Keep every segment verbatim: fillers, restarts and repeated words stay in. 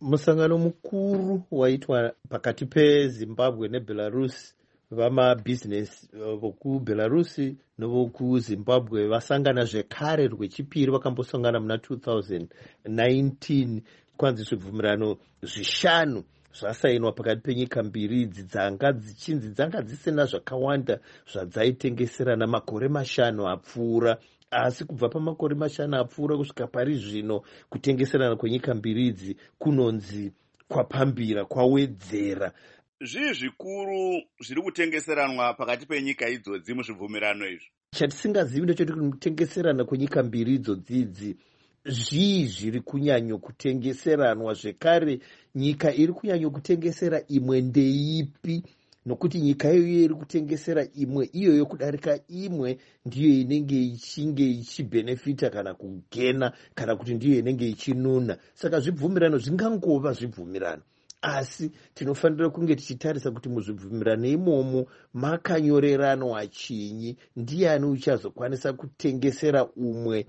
Musangano mukuru waitwa pakati peZimbabwe neBelarus, vamabhizinesi vokuBelarus nevokuZimbabwe vasangana zvekare rwechipiri. Vakambosangana muna two thousand nineteen. Kwanzi zvibvumirano zvishanu zvasainwa pakati penyika mbiri idzi dzanga dzichinzi dzanga dzisina zvakawanda zvadzaitengeserana makore mashanu apfuura. Asi kubva pamakore mashanu apfuura kusvika pari zvino, kutengeserana kwenyika mbiri idzi kunonzi kwapambira, kwawedzera. Zvii zvikuru zviri kutengeseranwa pakati penyika idzodzi muzvibvumirano izvi? Chatisingazivi ndechekuti kutengeserana kwenyika mbiri idzodzi idzi, zvii zviri kunyanyokutengeseranwa? Zvekare, nyika iri kunyanyokutengesera imwe ndeipi? Nokuti nyika iyoyo iri kutengesera imwe iyoyo kudarika imwe ndiyo inenge ichinge ichibhenefita kana kugena, kana kuti ndiyo inenge ichinuna. Saka zvibvumirano zvingangova zvibvumirano, asi tinofanira kunge tichitarisa kuti muzvibvumirano imomo makanyoreranwa chinyi, ndiani uchazokwanisa kutengesera umwe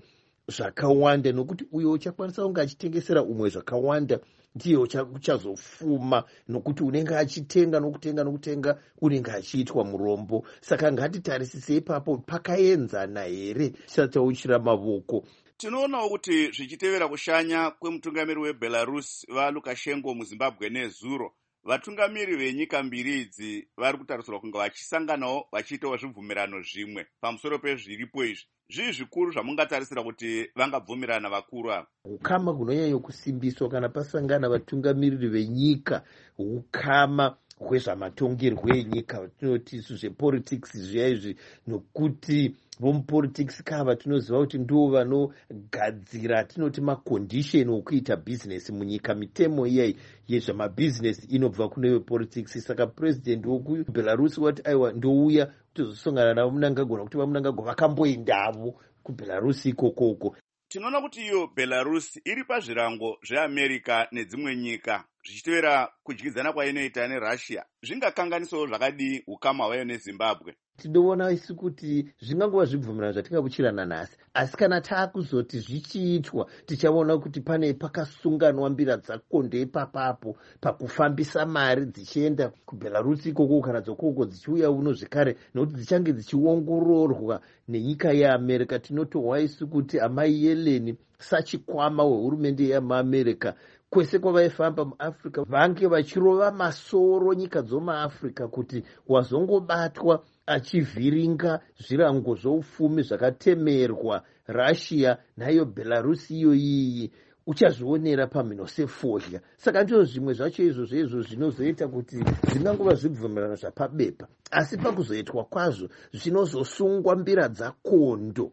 zvakawanda, nokuti uyo uchakwanisa kunge achitengesera umwe zvakawanda ndiye uchazofuma, nokuti unenge achitenga nokutenga nokutenga, unenge achiitwa murombo. Saka ngatitarisise ipapo, pakaenzana here tisati tauchira mavoko? Tinoonawo kuti zvichitevera kushanya kwemutungamiri weBelarus, VaLukashenko, muZimbabwe nezuro, vatungamiri venyika mbiri idzi vari kutarisirwa kunge vachisanganawo vachiitawo zvibvumirano zvimwe pamusoro pezviripo izvi. Zvii zvikuru zvamungatarisira kuti vangabvumirana vakuru ava? Ukama hunonyanya kusimbiswa kana pasangana vatungamiriri venyika, ukama hwezvamatongerwo enyika, tinoti isu zvepolitics zviya izvi, nokuti vomupolitics kava tinoziva kuti ndo vanogadzira tinoti macondition okuita bhizinesi munyika. Mitemo iyai yezvamabhizinesi inobva kune vepolitics. Saka purezidendi wokuBelarus wati, "Aiwa, ndouya kutozosangana navaMnangagwa," nokuti VaMnangagwa vakamboendavo kuBelarus ikokoko. Tinoona kuti iyo Belarus iri pazvirango zveAmerica nedzimwe nyika zvichitevera kudyidzana kwainoita neRussia. Zvingakanganisawo zvakadii ukama hwayo neZimbabwe? Tinoona isu kuti zvingangova zvibvumirano zvatingakuchirana nhasi, asi kana taakuzoti zvichiitwa, tichaona kuti pane pakasunganwa mbira dzakonde ipapapo pakufambisa mari dzichienda kuBelarus ikoko kana dzokoko dzichiuya uno zvekare, nokuti dzichange dzichiongororwa nenyika yeAmerica. Tinotohwa isu kuti Amai Yellen, sachikwama wehurumende yemaAmerica, kwese kwavaifamba muAfrica vange vachirova masoro nyika dzomuAfrica kuti wazongobatwa achivhiringa zvirango zvoupfumi zvakatemerwa Russia naiyo Belarus iyoyiyi, uchazvionera pamhino sefodya. Saka ndizvo zvimwe zvacho izvozvo izvo zvinozoita kuti zvingangova zvibvumirano zvapabepa, asi pakuzoitwa kwazvo zvinozosungwa mbira dzakondo.